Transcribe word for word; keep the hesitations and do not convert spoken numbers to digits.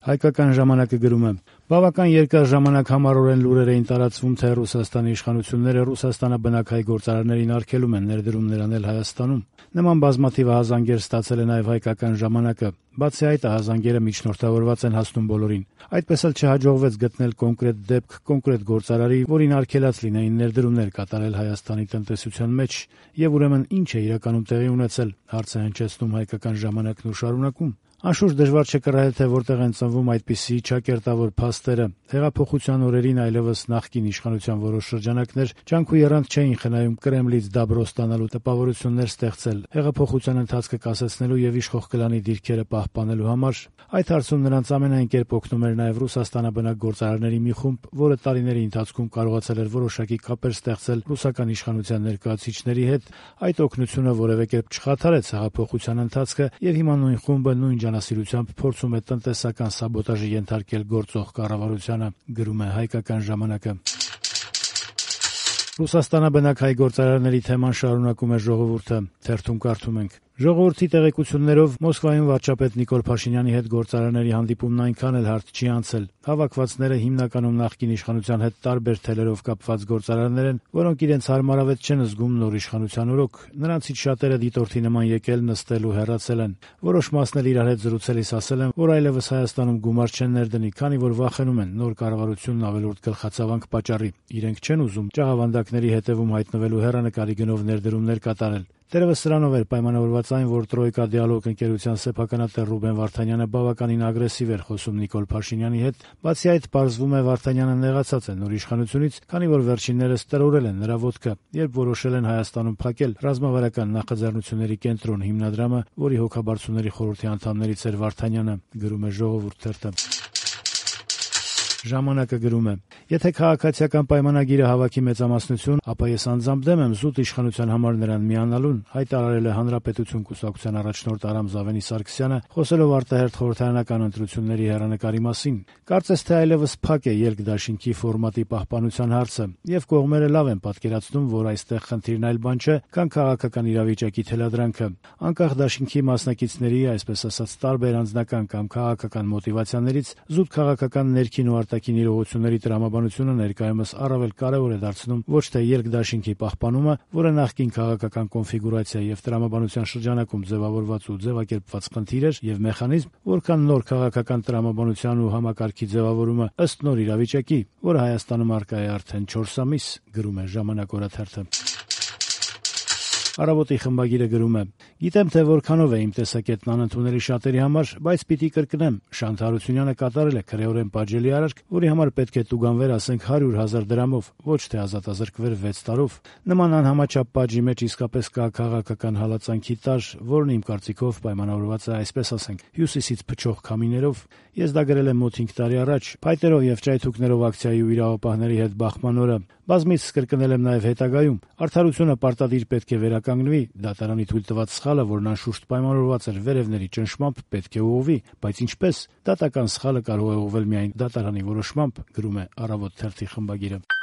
Հայկական ժամանակը գրում է. «Բավական երկար ժամանակ համառորեն լուրեր էին տարածվում, թե Ռուսաստանի իշխանությունները Ռուսաստանը բնակահայ գործարարներին արգելում են ներդրումներ անել Հայաստանում։ Նման բազմաթիվ ահազանգեր ստացել է նաև Հայկական ժամանակը։ Բացի այդ, ահազանգերը միջնորդավորված են հասնում բոլորին։ Այդպես էլ չհաջողվեց գտնել կոնկրետ դեպք, կոնկրետ գործարարի, որին արգելած լինեին ներդրումներ կատարել Հայաստանի տնտեսության մեջ։ Եվ ուրեմն ինչ է իրականում տեղի ունեցել», հարց է հնչեցնում Հայկական ժամանակն ու շարունակում. «Անշուշտ դժվար չէ կռահել, թե որտեղ են ծնվում այդպիսի ճակերտավոր փաստերը։ Հեղափոխության օրերին այլևս նախկին իշխանության որոշ շրջանակներ ջանք ու եռանդ չէին խնայում Կրեմլից դաբրո ստանալու տպավորություններ ստեղծել, հեղափոխության ընթացքը կասեցնելու եւ իշխող կլանի դիրքերը պահպանելու համար։ Այդ հարցում նրանց ամենայն կերպ օգնում էր նաեւ Ռուսաստանաբնակ գործարարների մի խումբ, որը տարիների ընթացքում կարողացել էր որոշակի կապեր ստեղծել ռուսական իշխանության ներկայացուցիչների հետ։ Այդ օգնությունը որևէ կերպ չխաթարեց հեղափոխության ընթացքը եւ հիմա նույն խումբը նույն ջանասիրությամբ փորձում է տնտեսական սաբոտաժի ենթարկել գործող կառավարությանը», գրում է Հայկական ժամանակը։ Ռուսաստանաբնակ հայ գործարարների թեման շարունակում է Ժողովուրդը, թերթում կարդում ենք. «Ժողովրդի տեղեկություններով Մոսկվայում վարչապետ Նիկոլ Փաշինյանի հետ գործարարների հանդիպումն այնքան էլ հարթ չի անցել։ Հավաքվածները հիմնականում նախկին իշխանության հետ տարբեր թելերով կապված գործարարներ են, որոնք իրենց հարմարավետ չեն զգում նոր իշխանության օրոք։ Նրանցից շատերը դիտորդի նման եկել, նստել ու հեռացել են։ Որոշ մասն էլ իրար հետ զրուցելիս ասել են, որ այլևս Հայաստանում գումար չեն ներդնի, քանի որ վախենում են նոր կառավարությունն ավելորդ գլխացավանք պատճառի։ Իրենք չեն ուզում ճաղավանդակների հետևում հայտնվելու հեռանկարի գնով ներդրումներ կատարել։ Դերևս սրանով էր պայմանավորված այն, որ Տրոյկա դիալոգ ընկերության սեփականատեր Ռուբեն Վարդանյանը բավականին ագրեսիվ էր խոսում Նիկոլ Փաշինյանի հետ։ Բացի այդ, պարզվում է Վարդանյանը նեղացած է նոր իշխանությունից, քանի որ վերջիններս տրորել են նրա ոտքը, երբ որոշել են Հայաստանում փակել ռազմավարական նախաձեռնությունների կենտրոն հիմնադրամը, որի հոգաբարձուների խորհրդի անդամներից էր Վարդանյանը, գրում է Ժողովուրդ թերթը։ Ժամանակը գրում է. «Եթե քաղաքացիական պայմանագիրը հավաքի մեծամասնություն, ապա ես անձամբ դեմ եմ զուտ իշխանության համար նրան միանալուն», հայտարարել է Հանրապետություն կուսակցության առաջնորդ Արամ Զավենի Սարգսյանը, խոսելով արտահերթ խորհրդարանական ընտրությունների հեռանկարի մասին։ Կարծես թե այլևս փակ է երկդաշինքի ֆորմատի պահպանության հարցը, եւ կողմերը լավ են պատկերացնում, որ այստեղ խնդիրն այլ բան չէ, քան քաղաքական իրավիճակի թելադրանքը։ Անկախ դաշինքի մասնակիցների, այսպես ասած, տարբեր անձնական կամ քաղաքական մոտիվացիաներից զուտ քաղաքական ներքին ու արտաքին իրողությունների տրամաբանությունը ներկայումս առավել կարևոր է դարձնում ոչ թե երկդաշինքի պահպանումը, որը նախկին քաղաքական կոնֆիգուրացիա եւ տրամաբանության շրջանակում ձևավորված ու ձևակերպված խնդիր էր եւ մեխանիզմ, որքան նոր քաղաքական տրամաբանության ու համակարգի ձևավորումը ըստ նոր իրավիճակի, որը Հայաստանում առկա է արդեն չորս ամիս, գրում է Ժամանակ օրաթերթը։ Առավոտի խմբագիրը գրում է. «Գիտեմ, թե որքանով է իմ տեսակետն անընդունելի շատերի համար, բայց պիտի կրկնեմ, Շանթ Հարությունյանը կատարել է քրեորեն պատժելի արարք, որի համար պետք է տուգանվեր, ասենք, հարյուր հազար դրամով, ոչ թե ազատազրկվեր վեց տարով։ Նման անհամաչափ պատժի մեջ իսկապես կա քաղաքական հալածանքի տար, որն իմ կարծիքով պայմանավորված է, այսպես ասենք, հյուսիսից փչող քամիներով։ Ես դա գրել եմ մոտ հինգ տարի առաջ, փայտերով եւ ճայթուկներով ակցիայի ու իրավապահների հետ բախման օրը։ Բազմիցս կրկնել եմ նաեւ հետագայում։ Արդարությունը պարտադիր պետք է վերականգնվի, դատարանի թույլ տված սխալը, որն անշուշտ պայմանավորված էր վերևների ճնշմամբ, պետք է ուղղվի, բայց ինչպես։ Դատական սխալը կարող է ուղղվել միայն դատարանի որոշմամբ», գրում է Առավոտ թերթի խմբագիրը։